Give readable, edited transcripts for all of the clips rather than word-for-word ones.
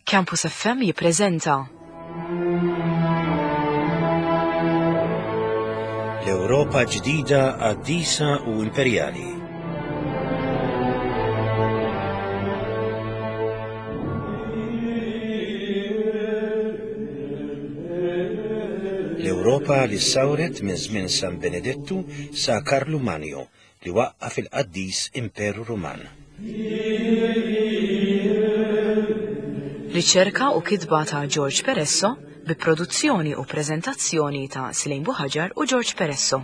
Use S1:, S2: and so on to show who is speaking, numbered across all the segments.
S1: Campus FM jippreżenta.
S2: L-Ewropa ġdida qaddisa u imperjali. L-Ewropa li ssawret minn żmien San Benedettu sa Karlu Manju li waqqaf il-qaddis Imperu Ruman.
S1: Riċerka u kitba ta' George Peresso bi produzzjoni u preżentazzjoni ta' Slejn Buħaġar u George Peresso.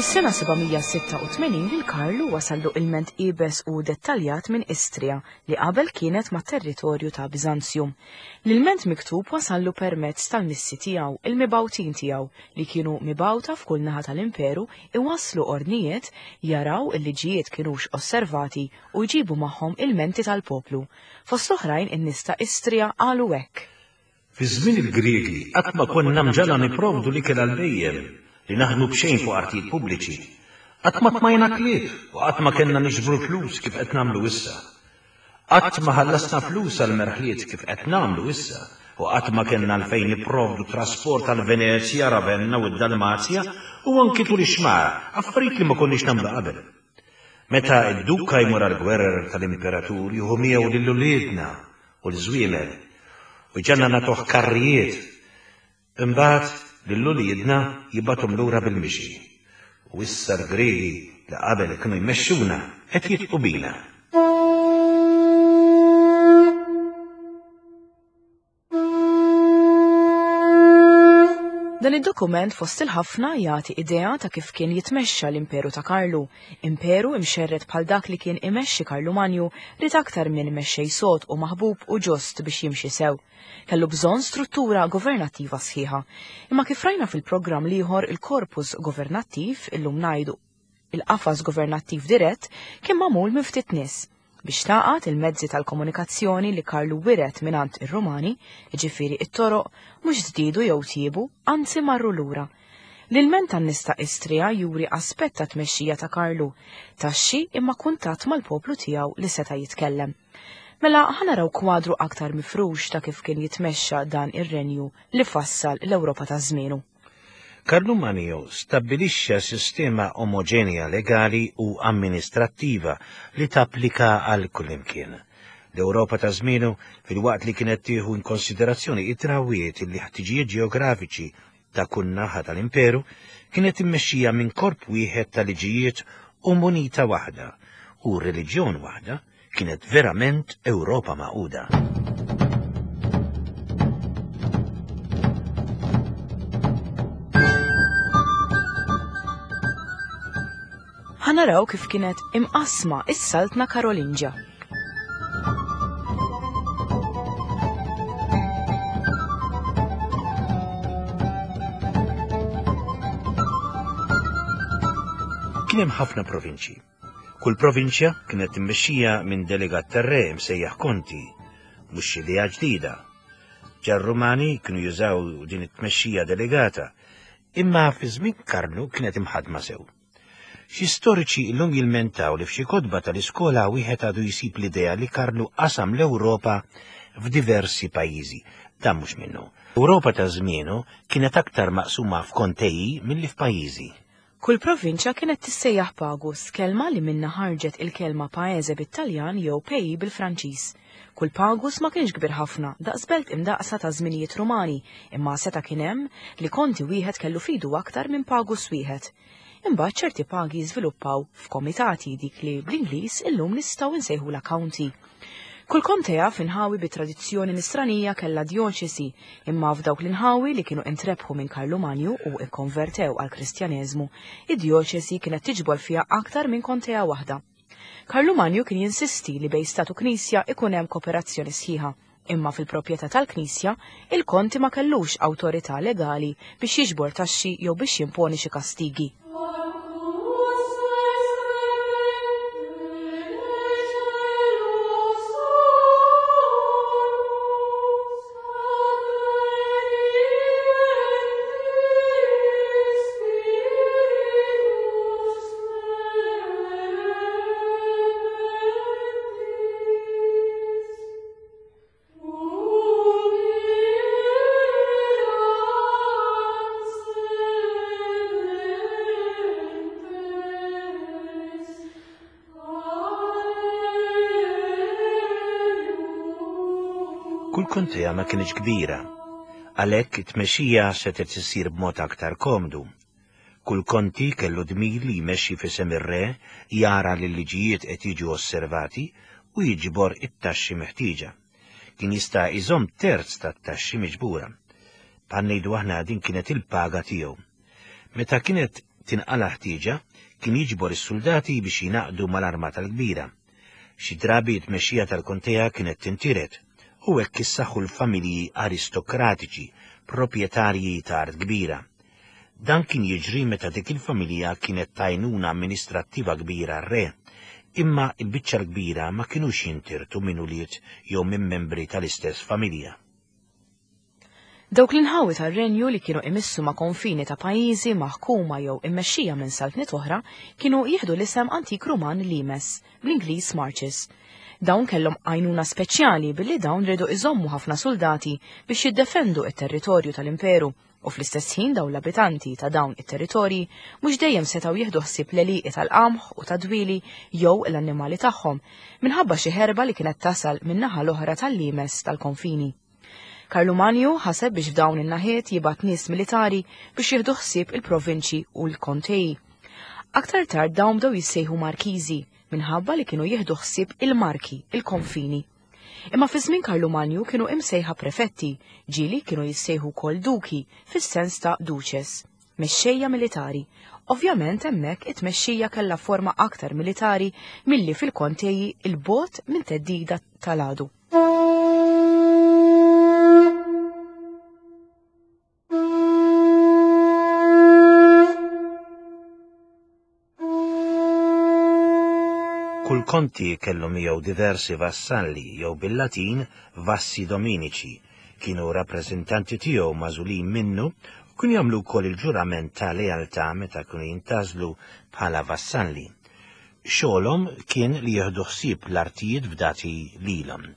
S1: Fis-sena 786 lil Karlu wasallu ilment iebes u dettaljat minn Istria li qabel kienet mat-territorju ta' Biżanzjum. L-ilment miktub wasallu permezz tal-missi tiegħu, il-mibgħutin tiegħu, li kienu mibgħuta f'kull naħa tal-imperu iwasslu ordnijiet, jaraw il-liġijiet kinux osservati u jġibu magħhom ilmenti tal-poplu. Fost l-oħrajn in-nies ta' Istria qalu hekk.
S2: Fi żmien il-Griegi qatt ma konna mġagħla nipprovdu l-ikel għall-bhejjem, li naħdmu b'xejn fuq artijiet pubbliċi. Qatt ma tmajna klieb u qatt ma kellna niġbru l-flus kif qed nagħmlu issa. Qatt ma ħallasna flus għall-merħliet kif qed nagħmlu issa u qatt ma kellna għalfejn nipprovdu trasport għal Venezja, Ravenna u d-Dalmazja u anki tul ix-xmara, affarijiet li ma konniex nagħmlu qabel. Meta d-duka jmur għall-gwerer tal-imperatur jieħu miegħu lil uliedna u l-żwiemel, u jġagħalna nagħtuh karrijiet. Imbagħad lil uliedna jibgħathom lura bil-mixi. U issa l-Griegi li qabel kienu jmexxuna qed jidħqu bina.
S1: Dan id-dokument fost il-ħafna jagħti idea ta' kif kien jitmexxa l-Imperu ta' Karlu. Imperu imxerred bħal dak li kien imexxi Karlu Manju ried aktar minn mexxej sod u maħbub u ġust biex jimxi sew. Kellu bżonn struttura governattiva sħiħa. Imma kif rajna fil-programm l-ieħor il-korpus governattiv, illum ngħidu il-qafas governattiv dirett, kien magħmul minn ftit nies. Biex tagħqad il-mezzi tal-komunikazzjoni li Karlu wiret mingħand ir-Rumani, jiġifieri t-toroq, mhux żdiedu jew tjiebu, anzi marru lura. L-ilment tan-nies ta' Istria juri aspett tat-tmexxija ta' Karlu, taxxi imma kuntatt mal-poplu tiegħu li seta' jitkellem. Mela ħa naraw kwadru aktar mifrux ta' kif kien jitmexxa dan ir-renju li fassal l-Ewropa ta' żmienu.
S2: Karlu Manio stabbilixxa sistema omoġenja legali u amministrattiva li tapplika għal kullimkien. L-Ewropa ta' żmienu, filwaqt li kienet tieħu in konsiderazzjoni it-drawwiet li ħtiġijiet ġeografiċi ta' kull naħa tal-imperu, kienet immexxija minn korp wieħed ta' liġijiet u munita waħda u reliġjon waħda, Kienet verament Ewropa magħquda.
S1: Ħa naraw kif kienet imqassma is-Saltna Karolinġja.
S2: Kien hemm ħafna provinċji. Kull provinċja kienet immexxija minn delegat tar-re msejjaħ konti, mhux xi idea ġdida. Ġa r-Rumani kienu jużaw din it-tmexxija delegata, imma fi żmien Karlu kienet imħaddma sew. Xi storiċi illum jilmentaw li f'xi kotba tal-iskola wieħed għadu jsib l-idea li Karlu qasam l-Ewropa f'diversi pajjiżi. Dan mhux minnu. Ewropa ta' żmienu kienet aktar maqsuma f'konteji milli f'pajjiżi.
S1: Kull provinċja kienet tissejjaħ pagus, kelma li minnha ħarġet il-kelma paese bit-Taljan jew pays bil-Franċiż. Kull pagus ma kienx kbir ħafna, daqs belt imdaqqsa ta' żminijiet Rumani, imma seta' kien hemm li konti wieħed kellu f'idu aktar minn pagus wieħed. Imbagħad ċerti pagi żviluppaw f'komitati, dik li bl-Ingliż illum nistgħu nsejħulha county. Kull kontea f'inħawi bi tradizzjoni nisranija kellha djoċesi, imma f'dawk l-inħawi li kienu intrebħu minn Karlu Manju u kkonvertew għall-Kristjaneżmu, id-djoċesi kienet tiġbor fiha aktar minn kontea waħda. Karlu Manju kien jinsisti li bejn stat u knisja ikun hemm koperazzjoni sħiħa, imma fil-proprjetà tal-knisja, il-konti ma kellux awtorità legali biex jiġbor taxxi jew biex jimponi xi kastigi.
S2: Kull kontea ma kinitx kbira, għalhekk it-tmexxija setgħet issir b'mod aktar komdu. Kull konti kellu dmir li jmexxi f'isem ir-re, jara li l-liġijiet qed jiġu osservati u jiġbor it-taxxi meħtieġa. Kien jista' jżomm terz tat-taxxi miġbura. Bħal ngħidu aħna din kienet il-paga tiegħu. Meta kienet tinqala' ħtieġa, kien jiġbor is-suldati biex jingħaqdu mal-armata l-kbira. Xi drabi t-tmexxija tal-kontea kienet tintiret, u hekk issaħħu l-familji aristokratiċi, proprjetarji ta' art kbira. Dan kien jiġri meta dik il-familja kienet t'għajnuna amministrattiva kbira għar-re, imma l-biċċa l-kbira ma kinux jintirtu minn ulied jew minn membri tal-istess familja.
S1: Dawk l-inħawi tar-renju li kienu imissu ma' konfini ta' pajjiżi maħkuma jew immexxija minn saltniet oħra kienu jieħdu l-isem antik Ruman limes, bl-Ingliż marches. Dawn kellhom għajnuna speċjali billi dawn riedu iżommu ħafna suldati biex jiddefendu t-territorju tal-imperu u fl-istess ħin dawn l-abitanti ta' dawn it-territorji mhux dejjem setgħu jieħdu ħsieb l-għelieqi tal-qamħ u tad-dwieli jew l-annimali tagħhom minħabba xi ħerba li kienet tasal min-naħa l-oħra tal-limes tal-konfini. Karlu Manju ħaseb biex f'dawn in-naħiet jibgħat nies militari biex jieħdu ħsieb il-provinċji u l-kontei. Aktar tard dawn bdew jissejħu markiżi minħabba li kienu jieħdu ħsieb il-marki, il-konfini. Imma fi żmien Karlu Manju kienu imsejħa prefetti, ġieli kienu jissejħu wkoll duki fis-sens ta' duces, mexxejja militari. Ovvjament hemmhekk it-tmexxija kellha forma aktar militari milli fil-konteji 'l bogħod minn theddida tal-għadu.
S2: Kull konti kellu miegħu diversi vassalli jew bil-Latin vassi dominici, kienu rappreżentanti tiegħu magħżulin minnu u kienu jagħmlu wkoll il-ġurament ta' lealtà meta kienu jintgħażlu bħala vassalli. Xogħolhom kien li jieħdu ħsieb l-artijiet fdati lilhom.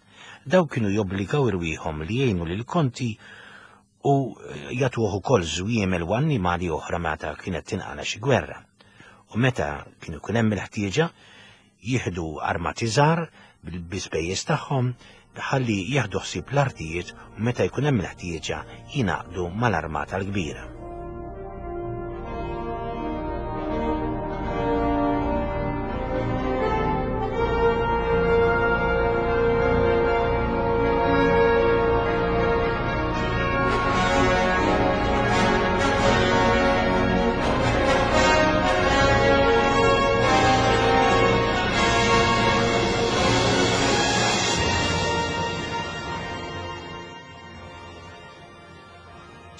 S2: Dawn kienu jobbligaw irwieħhom li jgħinu lill-konti u jagħtuh ukoll żwiemel u annimali oħra meta kienet tinqala' xi gwerra. U meta kien ikun hemm il-ħtieġa, jieħdu armati żgħar bi spejjeż tagħhom ħalli jieħdu ħsieb l-artijiet u meta jkun hemm il-ħtieġa jingħaqdu mal-armata l-kbira.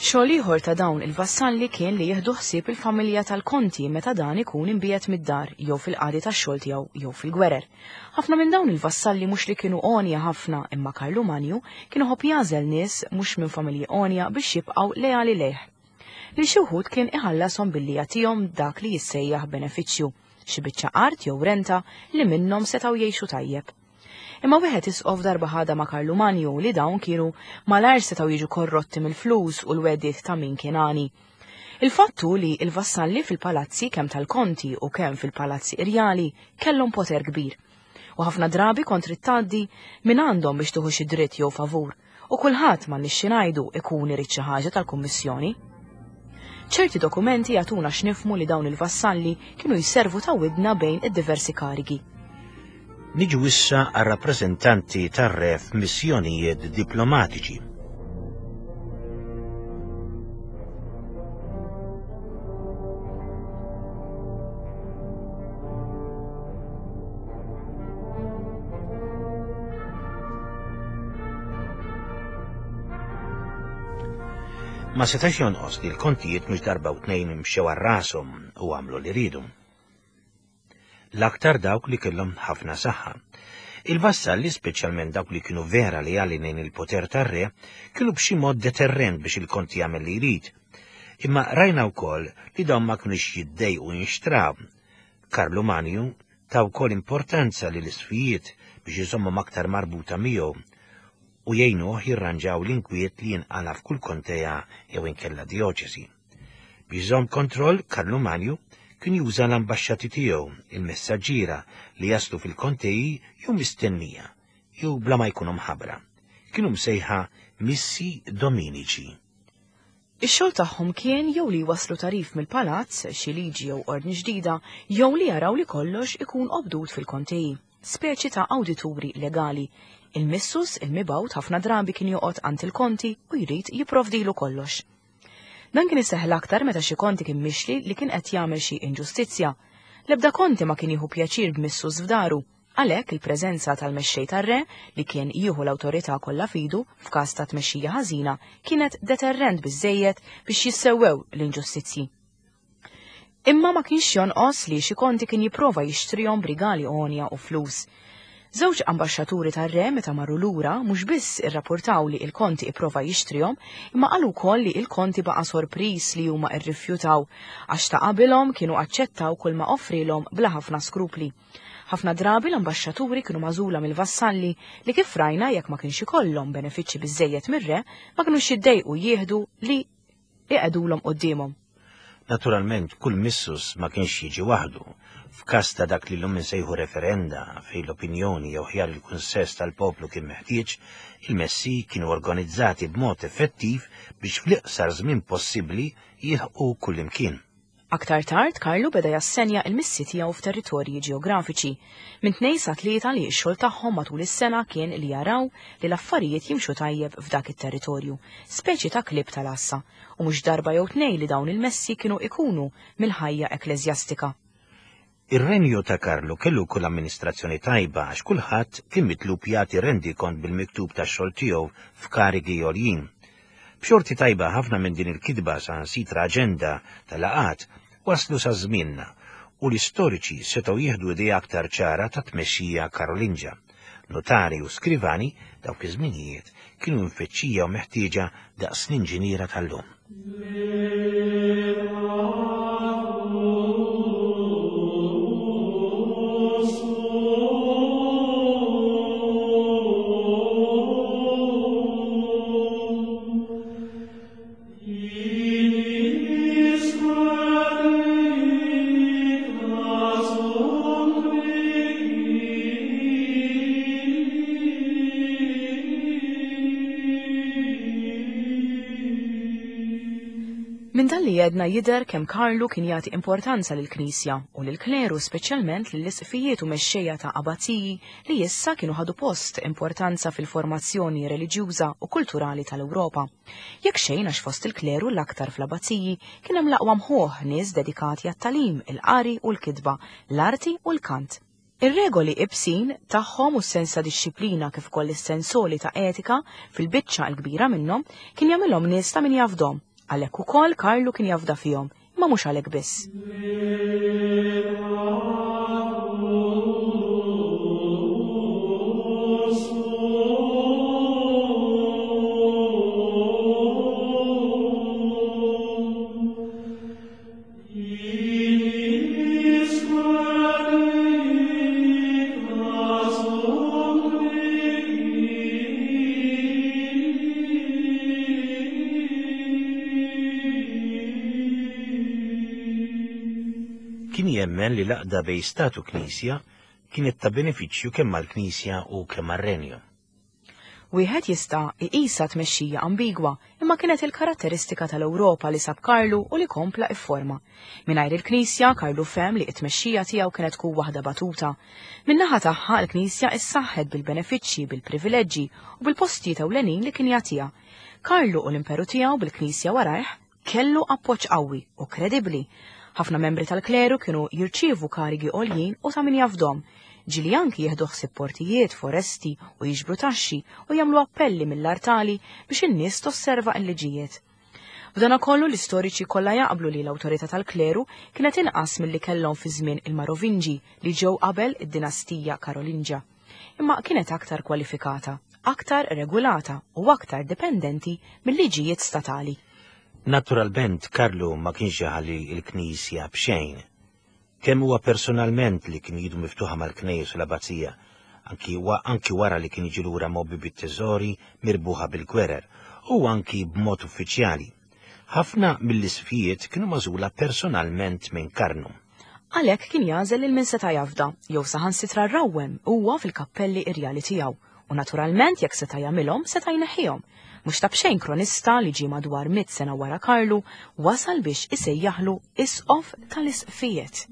S1: Xogħol ieħor ta' dawn il-vassalli kien li jieħdu ħsieb il-familja tal-konti meta dan ikun imbiegħed mid-dar jew fil-qadi tax-xogħol tiegħu jew fil-gwerer. Ħafna minn dawn il-vassalli mhux li kienu għonja ħafna imma Karlu Manju kien iħobb jagħżel nies mhux minn familji għonja biex jibqgħu leali lejh. Lil xi wħud kien iħallashom billi jagħtihom dak li jissejjaħ benefiċċju, xi biċċa art jew renta li minnhom setgħu jgħixu tajjeb. Imma wieħed isqof darba ħadha ma' Karlu Manju li dawn kienu malajr setgħu jiġu korrotti mill-flus u l-wegħdiet ta' min kien għani. Il-fatt hu li l-vassalli fil-palazzi kemm tal-konti u kemm fil-palazzi irjali kellhom poter kbir. U ħafna drabi kont trid tgħaddi minn għandhom biex tieħu xi dritt jew favur, u kulħadd m'għandniex xi ngħidu ikun irid xi ħaġa tal-kummissjoni. Ċerti dokumenti jagħtuna x'nifhmu li dawn il-vassalli kienu jservu ta' widna bejn id-diversi karigi.
S2: Niġu issa għar-rappreżentanti tar-re f'missjonijiet diplomatiċi. Ma setax jonqos li l-kontijiet mhux darba u tnejn imxew għal rashom u għamlu li riedu. L-aktar dawk li kellhom ħafna saħħa. Il-vassalli, speċjalment dawk li kienu vera leali lejn il-poter tar-re, kienu b'xi mod deterrent biex il-konti jagħmel li jrid. Imma rajna wkoll li dawn ma kinux jiddejqu jinxtraw. Karlu Manju ta wkoll importanza lil isfijiet biex iżommhom aktar marbuta miegħu u jgħinuh jirranġaw l-inkwiet li jinqala' f'kull kontea jew inkella djoċesi. Biex iżomm kontroll, Karlu Manju kien juża l-ambaxxati tiegħu, il-messaġġiera li jaslu fil-konteji jew mistennija, jew bla ma jkunu mħabbra. Kienu msejħa missi dominici.
S1: Ix-xogħol tagħhom kien jew li jwasslu tagħrif mill-palazz, xi liġi jew ordni ġdida, jew li jaraw li kollox ikun obdut fil-kontei, speċi ta' awdituri legali. Il-missus, il-mibgħut, ħafna drabi kien joqgħod għand il-konti u jrid jipprovdilu kollox. Dan kien iseħħ l-aktar meta xi konti kien mixli li kien qed jagħmel xi inġustizzja. L-ebda konti ma kien jieħu pjaċir b'missus f'daru. Għalhekk il-preżenza tal-mexxej tar-re, li kien jieħu l-awtorità kollha f'idu f'każ ta' tmexxija ħażina, kienet deterrent biżżejjed biex jissewwew l-inġustizzji. Imma ma kienx jonqos li xi konti kien jipprova jixtrihom b'rigali għonja u flus. Żewġ ambaxxaturi tar-re meta marru lura mhux biss irrapportaw li l-konti ipprova jixtrihom, imma qalu wkoll li l-konti baqa' sorpriż li huma rrifjutaw għax ta' qabilhom kienu aċċettaw kulma offrielhom bla ħafna skrupli. Ħafna drabi l-ambaxxaturi kienu magħżula mill-vassalli li kif rajna jekk ma kienx ikollhom benefiċċji biżżejjed mir-re ma kinux jiddejqu jieħdu li iqegħdulhom quddiemhom.
S2: Naturalment kull missus ma kienx jiġi waħdu. F'każ ta' dak li llum insejħu referenda fejn l-opinjoni jew ħjar il-kunsens tal-poplu kien meħtieġ, il-messi kienu organizzati b'mod effettiv biex fl-iqsar żmien possibbli jilħqu kullimkien.
S1: Aktar tard, Karlu beda jassenja l-missi tiegħu f'territorji ġeografiċi, minn tnejn sa tlieta li x-xogħol tagħhom matul is-sena kien li jaraw li l-affarijiet jimxu tajjeb f'dak it-territorju, speċi ta' klieb tal-għassa, u mhux darba jew tnejn li dawn il-messi kienu ikunu mill-ħajja ekkleżjastika.
S2: Ir-renju ta' Karlu kellu wkoll amministrazzjoni tajba għax kulħadd kien mitlub jagħti rendikont bil-miktub tax-xogħol tiegħu f'karigi għoljin. B'xorti tajba ħafna minn din il-kitba saħansitra aġenda ta' laqgħat waslu sa żmienna u l-istoriċi setgħu jieħdu idea aktar ċara tat-tmexxija Karolinġa. Notari u skrivani dawk iż-żminijiet kienu mfittxija u meħtieġa daqs l-inġiniera tal-lum.
S1: Minn dan li għedna jidher kemm Karlu kien jagħti importanza lill-Knisja u lill-kleru speċjalment lill-isqfijiet u mexxejja ta' abbaziji li issa kienu ħadu post importanza fil-formazzjoni reliġjuża u kulturali tal-Ewropa. Jekk xejn għax fost il-kleru l-aktar fl-abbaziji kien hemm l-aqwa mħuħ nies dedikati għat-tagħlim, il-qari u l-kitba, l-arti u l-kant. Ir-regoli ibsin tagħhom u s-sens ta' dixxiplina kif ukoll is-sens għoli ta' etika fil-biċċa l-kbira minnhom kien jagħmilhom nies ta' min jafdhom. Għalhekk ukoll Karlu kien jafda fihom, imma mhux għalhekk biss.
S2: Kien jemmen li l-għaqda bejn Stat u Knisja kienet ta' benefiċċju kemm għall-Knisja u kemm għar-Renju.
S1: Wieħed jista' iqisha tmexxija ambigwa, imma kienet il-karatteristika tal-Ewropa li sab Karlu u li kompla ifforma. Mingħajr il-Knisja, Karlu fehem li t-tmexxija tiegħu kienet tkun waħda batuta. Min-naħa tagħha, il-Knisja issaħħet bil-benefiċċji, bil-privileġġi u bil-postijiet ewlenin li kien jagħtiha. Karlu u l-imperu tiegħu bil-Knisja warajh, Kellu appoġġ qawwi u kredibbli. Ħafna membri tal-kleru kienu jirċievu karigi għoljin u ta' min jafdhom. Ġieli anki jieħdu ħsieb portijiet, foresti u jiġbru taxxi u jagħmlu appelli mill-artali biex in-nies tosserva l-liġijiet. B'danakollu l-istoriċi kollha jaqblu li l-awtorità tal-kleru kienet inqas milli kellhom fi żmien il-Marovinġi li ġew qabel id-dinastija Karolinġja. Imma kienet aktar kwalifikata, aktar regulata u aktar dipendenti mil-liġijiet statali.
S2: Naturalment Karlu ma kienx iħalli l-Knisja b'xejn. Kemm huwa personalment li kien idu miftuħa mal-knejjes u l-abbazija, anki anki wara li kien jiġi lura mgħobbi bit-teżori mirbuħa bil-gwerer, u anki b'mod uffiċjali. Ħafna mill-isqfijiet kienu magħżula personalment minn Karnu.
S1: Għalhekk kien jagħżel lil min seta' jafda, jew saħansitra rawwem huwa fil-kappelli irjali tiegħu. U naturalment jekk seta' jagħmilhom seta' jneħħihom. Mhux ta' b'xejn kronista li ġie madwar mitt sena wara Karlu wasal biex isejjaħlu isqof tal-isqfijiet.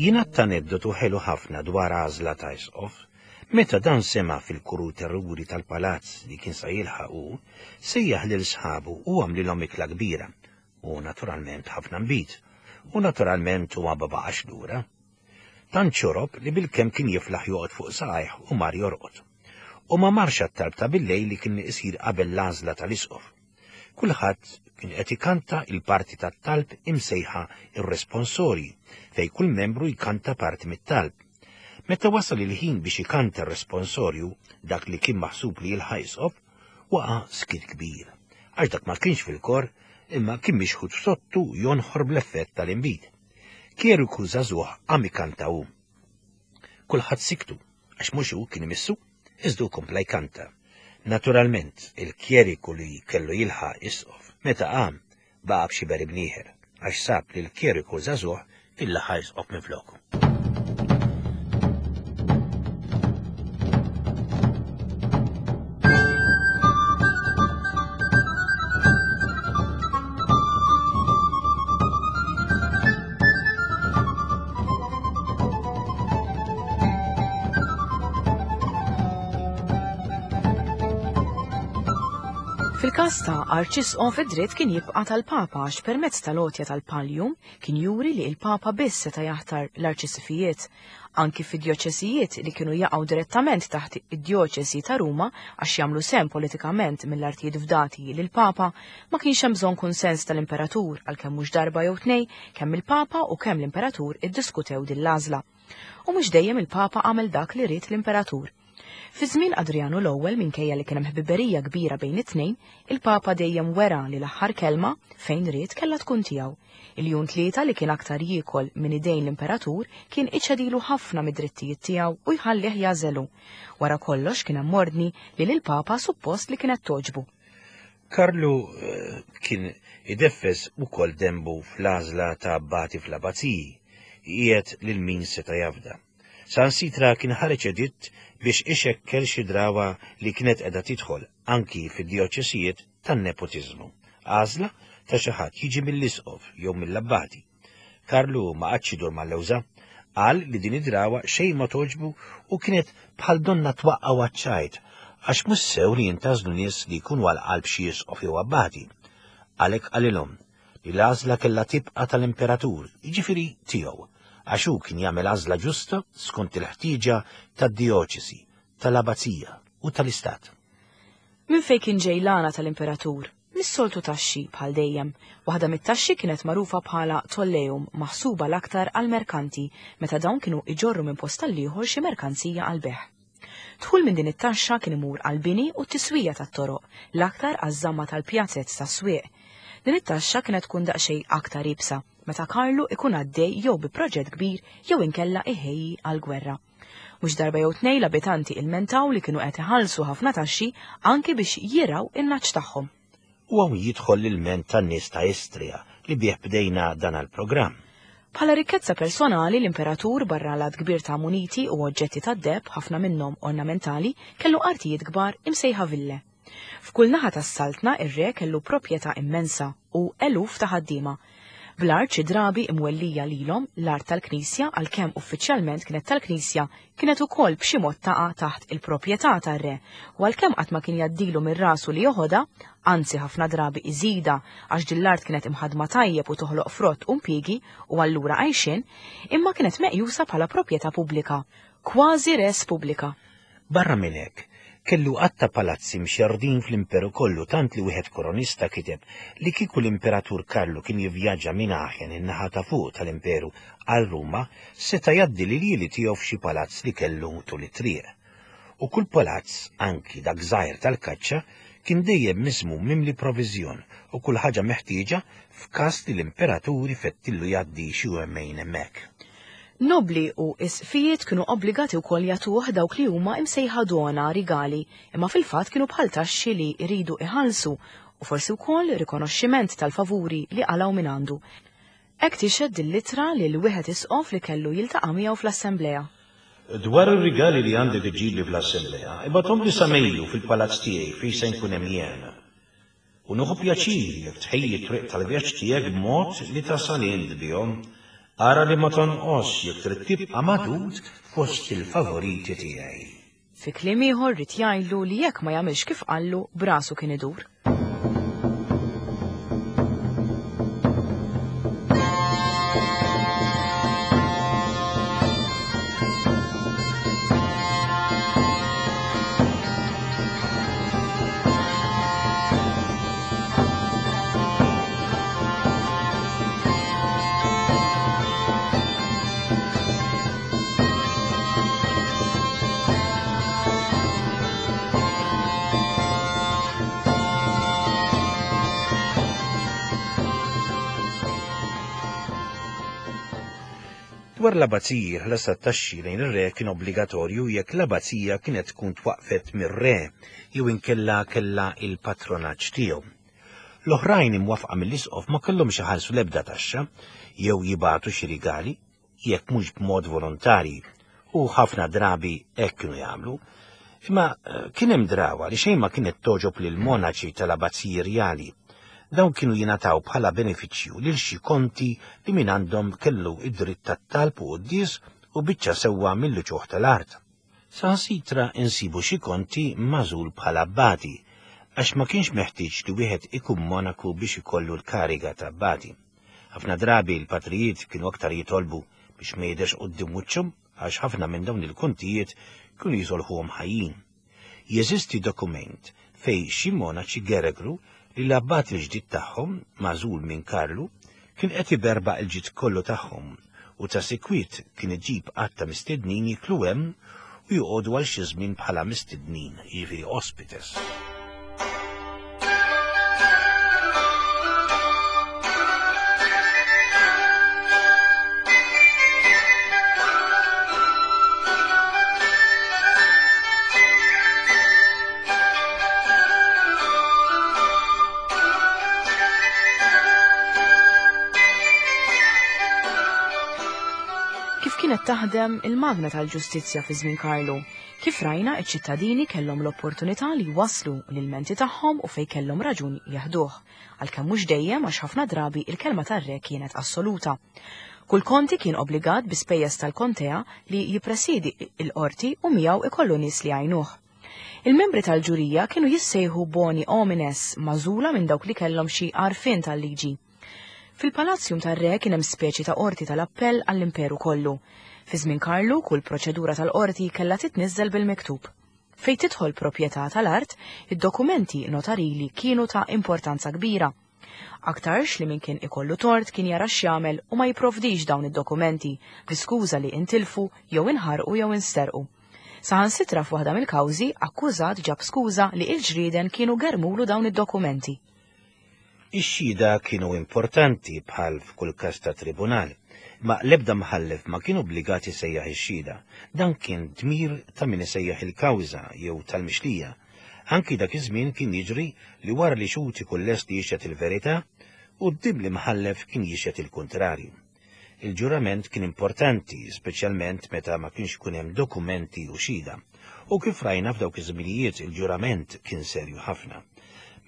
S2: Jingħad aneddotu ħelu ħafna dwar għażla ta' isqof. Meta dan sema' fil-kuruteruri tal-palazz li kien sa jilħaq hu, sejjaħ lil sħabu u għamlilhom ikla kbira, u naturalment ħafna nbid, u naturalment huwa ma baqax lura. Tant xorob li bilkemm kien jiflaħ joqgħod fuq saqajh u mar jorqod. U ma marx għat-talb ta' billejl li kien isir qabel l-għażla tal-isqof. Kulħadd kien qed ikanta il-parti tat-talb imsejħa ir-responsorji, fejn kull membru jkanta parti mit-talb. Meta wasal il-ħin biex ikanta r-responsorju, dak li kien maħsub li jilħaq isqof, waqa' skiet kbir. Għax dak ma kienx fil-kor, imma kien mixħut f'sottu jonħor bl-effett tal-inbid. Kjeriku żagħżugħ qam ikanta hu. Kulħadd siktu, għax mhux hu kien imissu, iżda hu kompla jkanta. Naturalment, il-kjeriku li kellu jilħaq isqof, meta qam, baqa' b'xiber imnieħer, għax sab li l-kjeriku żagħżugħ kien laħaq isqof minfloku.
S1: Fil-każ ta' arċisqof id-dritt kien jibqa' tal-Papa għax permezz tal-għotja tal-pallium kien juri li il-Papa biss seta' jaħtar l-arċisqfijiet. Anki fi djoċesijiet li kienu jaqgħu direttament taħt id-djoċesi ta' Ruma għax jagħmlu sehem politikament mill-artijiet fdati lill-Papa, ma kienx hemm bżonn kunsens tal-Imperatur għalkemm mhux darba jew tnejn kemm il-Papa u kemm l-Imperatur iddiskutew din l-għażla. U mhux dejjem il-Papa għamel dak li ried l-Imperatur. Fi żmien Adrijanu l-Ewwel minkejja li kien hemm ħbiberija kbira bejn it-tnejn, il-Papa dejjem wera li l-aħħar kelma, fejn ried, kellha tkun tiegħu. Iljun Tlieta li kien aktar jiekol minn idejn l-Imperatur kien iċedilu ħafna mid-drittijiet tiegħu u jħallih jagħżel hu. Wara kollox kien hemm ordni li lill-Papa suppost li kienet togħġbu.
S2: Karlu kien ideffes ukoll denbu fl-għażla ta' abbati fl-abbaziji, iqiegħed lil min seta' jafda. Saħansitra kien ħareġ editt biex ixekkel xi drawa li kienet qiegħda tidħol anki fid-djoċesijiet tan-nepotiżmu, għażla ta' xi ħadd jiġi mill-isqof jew mill-abbati. Karlu ma qagħadx idur mal-lewża, qal li din id-drawa xejn ma togħġbu u kienet bħal donnha twaqqgħu għaċ-ċajt għax mhux sew li jintgħażlu nies li jkunu għal qalb xi isqof jew abbati. Għalhekk qalilhom li l-għażla kellha tibqa' tal-imperatur, jiġifieri tiegħu, għax hu kien jagħmel għażla ġusta skont il-ħtieġa tad-dijoċesi, tal-abazija u tal-istat.
S1: Minn fejn kien ġej l-għana tal-imperatur? Mis-soltu taxxi, bħal dejjem. Waħda mit-taxxi kienet magħrufa bħala tolleum, maħsuba l-aktar għall-merkanti, meta dawn kienu iġorru minn post għall-ieħor xi merkanzija għall-bejgħ. Dħul minn din it-taxxa kien imur għall-bini u t-tiswija tat-toroq, l-aktar għaż-żamma tal-pjazez tas-swieq. Din it-taxxa kienet tkun daqsxejn aktar iebsa meta Karlu ikun għaddej jew bi proġett kbir jew inkella iħejji għall-gwerra. Mhux darba jew tnejn l-abitanti ilmentaw li kienu qed iħallsu ħafna taxxi anki biex jirgħu in-nagħaġ tagħhom.
S2: U hawn jidħol l-ilment tan-nies ta' Istria li bih bdejna dan l-programm.
S1: Bħala rikkezza personali, l-imperatur, barra l-għadd kbir ta' muniti u oġġetti tad-deheb, ħafna minnhom ornamentali, kellu artijiet kbar imsejħa ville. F'kull naħa tas-saltna ir-re kellu proprjetà immensa u eluf ta' ħaddiema. Bl-art xi drabi imwellija lilhom, l-art tal-Knisja, għalkemm uffiċjalment kienet tal-Knisja, kienet ukoll b'xi mod taqa' taħt il-proprjetà tar-re, u għalkemm qatt ma kien jgħaddilu minn rasu li joħodha, anzi ħafna drabi iżidha għax din l-art kienet imħaddma tajjeb u toħloq frott u mpjiegi u allura għajxien, imma kienet meqjusa bħala proprjetà pubblika. Kważi res pubblika.
S2: Barra minn hekk, kellu għadd ta' palazzi mxerrdin fl-imperu kollu tant li wieħed koronista kiteb li kieku l-Imperatur Karlu kien jivvjaġġa minn Aachen in-naħa ta' fuq tal-imperu għal Ruma seta' jgħaddi l-iljieli tiegħu f'xi palazz li kellu tul it-triq. U kull palazz, anki dak żgħir tal-kaċċa, kien dejjem miżmum mimli proviżjon u kull ħaġa meħtieġa f'każ li l-imperatur ifettillu jgħaddi xi jumejn hemmhekk.
S1: Nobbli u isqfijiet kienu obbligati wkoll jagħtuh dawk li huma imsejħa dona, rigali, imma fil-fatt kienu bħal taxxi li jridu iħallsu u forsi wkoll rikonoxximent tal-favuri li qalgħu mingħandu. Hekk tixhed din l-ittra lil wieħed isqof li kellu jiltaqa' miegħu fl-assemblea.
S2: Dwar ir-rigali li għandek iġġibli fl-assemblea, ibgħathomli sa Mejju fil-palazz tiegħi fejn se nkun hemm jien. U nieħu pjaċir jekk tħejji t-triq tal-vjaġġ tiegħek b'mod li tasal int bihom. Ara li ma tonqosx jekk trid tibqa' magħdud fost il-favoriti tiegħi.
S1: Fi kliem ieħor ried jgħidlu li jekk ma jagħmilx kif qallu, b'rasu kien idur.
S2: Dwar l-abbaziji, il-ħlas tat-taxxi lejn ir-re kien obbligatorju jekk l-abbazija kienet tkun twaqqfet mir-re jew inkella kellha il-patronaġġ tiegħu. L-oħrajn imwaffqa mill-isqof ma kellhomx iħallsu l-ebda taxxa jew jibagħtu xi rigali, jekk mhux b'mod volontarji, u ħafna drabi hekk kienu jagħmlu. Imma eh, kien hemm drawa li xejn ma kienet togħġob lil monaċi tal-abbaziji rjali. Dawn kienu jingħataw bħala benefiċċju lil xi konti li minn għandhom kellu id-dritt tat-talb u quddies u biċċa sewwa mill-uċuħ tal-art. Saħansitra insibu xi konti magħżul bħala abbati, għax ma kienx meħtieġ li wieħed ikun monaku biex ikollu l-kariga ta' abbati. Ħafna drabi l-patrijiet kienu aktar jitolbu biex ma jidherx quddiem wiċċhom għax ħafna minn dawn il-kontijiet kienu jisolħuhom ħajjin. Jeżisti dokument fejn xi monaċi geregru li l-abbat il-ġdid tagħhom, magħżul minn Karlu, kien qed iberbaq il-ġid kollu tagħhom u ta' sikwit kien iġib għadd ta' mistednin jiklu hemm u joqogħdu għal xi żmien bħala mistednin, jiġifieri ospites.
S1: Kif kienet taħdem il-magna tal-ġustizzja fi żmien Karlu? Kif rajna, iċ-ċittadini kellhom l-opportunità li jwasslu l-ilmenti tagħhom u fejn kellhom raġun jeħduh, għalkemm mhux dejjem għax ħafna drabi il-kelma tar-re kienet assoluta. Kull konti kien obbligat bi spejjeż tal-kontea li jippresiedi l-qorti u miegħu ikollu nies li jgħinuh. Il-membri tal-ġurija kienu jissejħu boni homines, magħżula minn dawk li kellhom xi għarfien tal-liġi. Fil-palazzjum tar-re kien hemm speċi ta' qorti tal-appell għall-imperu kollu. Fi żmien Karlu, kull proċedura tal-qorti kellha titniżżel bil-miktub. Fejn tidħol proprjetà tal-art, id-dokumenti notarili kienu ta' importanza kbira. Aktarx li min kien ikollu tort kien jara x'jagħmel u ma jipprovdix dawn id-dokumenti bl-iskuża li intilfu jew inħarqu jew insterqu. Saħansitra f'waħda mill-kawżi, akkużat ġab skuża li il-ġrieden kienu germulu dawn id-dokumenti.
S2: Ix-xhieda kienu importanti bħal f'kull każ ta' tribunal, imma l-ebda mħallef ma kien obbligat isejjaħ ix-xhieda. Dan kien dmir ta' min isejjaħ il-kawża jew tal-mixlija. Anki dak iż-żmien kien jiġri li wara li xhud ikun lest li jixhed il-verità, quddiem l-imħallef kien jixhed il-kuntrarju. Il-ġurament kien importanti, speċjalment meta ma kienx ikun hemm dokumenti u xhieda. U kif rajna f'dawk iż-żminijiet il-ġurament kien serju ħafna.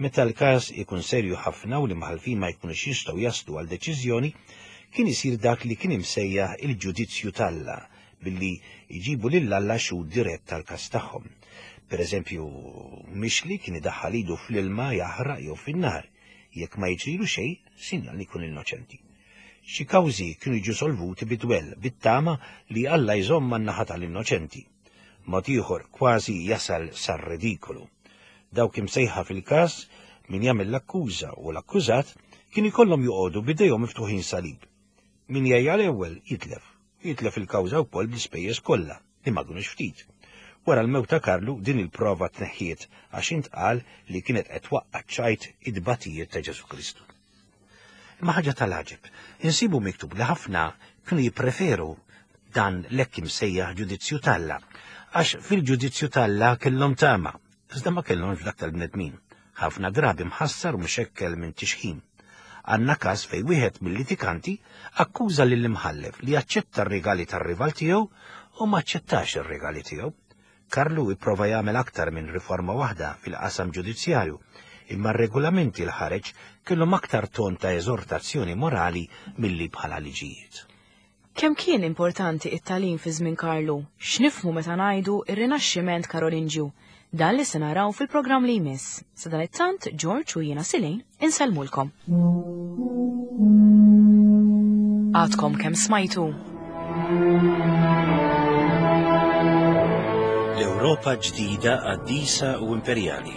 S2: Meta l-każ ikun serju ħafna u l-imħallfin ma jkunux jistgħu jaslu għal deċiżjoni, kien isir dak li kien imsejjaħ il-ġudizzju t'Alla, billi jġibu lil Alla xhud dirett tal-każ tagħhom. Per eżempju, mixli kien idaħħal idu fl-ilma jaħraq jew fin-nar. Jekk ma jiġrilu xejn, sinjal li jkun innoċenti. Xi kawżi kienu jiġu solvuti bi dwell, bit-tama li Alla jżomm man-naħa tal-innoċenti. Mod ieħor kważi jasal sar-redikolu. Dawk imsejħa fil-każ, min jagħmel l-akkuża u l-akkużat, kien ikollhom joqogħdu b'idejhom miftuħin salib. Min jgħejja l-ewwel jitlef, u jitlef il-kawża wkoll bl-ispejjeż kollha, li ma kinux ftit. Wara l-mewt ta' Karlu din il-prova tneħħiet għax intqal li kienet qed twaqqa' ċ-ċajt it-tbatijiet ta' Ġesù Kristu. Imma ħaġa tal-għaġeb, insibu miktub li ħafna kienu jippreferu dan l-hekk imsejjaħ ġudizzju t'Alla, għax fil-ġudizzju t'Alla kellhom tama, iżda ma kellhomx f'dak tal-bnedmin, ħafna drabi mħassar u mxekkel minn tixħim. Għandna każ fejn wieħed mill-litikanti akkuża lill-imħallef li aċċetta r-rigali tar-rival tiegħu u ma aċċettax ir-rigali tiegħu. Karlu ipprova jagħmel aktar minn riforma waħda fil-qasam ġudizzjarju, imma r-regolamenti l ħareġ kellhom aktar ton ta' eżortazzjoni morali milli bħala liġijiet.
S1: Kemm kien importanti t-tagħlim fi żmien Karlu? X'nifhmu meta ngħidu r-Rinaxximent Karolinġju? Dan li se naraw fil-programm li jmiss. Sadanittant, George u jiena Silene insellmulkom. Għadkom kemm smajtu?
S2: L-Ewropa ġdida qaddisa u imperjali,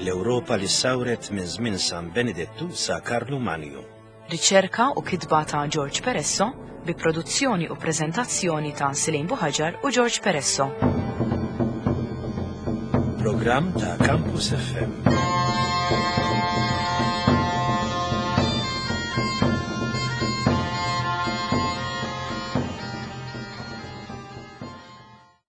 S2: l-Ewropa li ssawret minn żmien San Benedettu sa Karlu Manju.
S1: Riċerka u kitba ta' George Peresso bi produzzjoni u preżentazzjoni ta' Silene Buhaġar u George Peresso.
S2: Programm ta' Campus FM.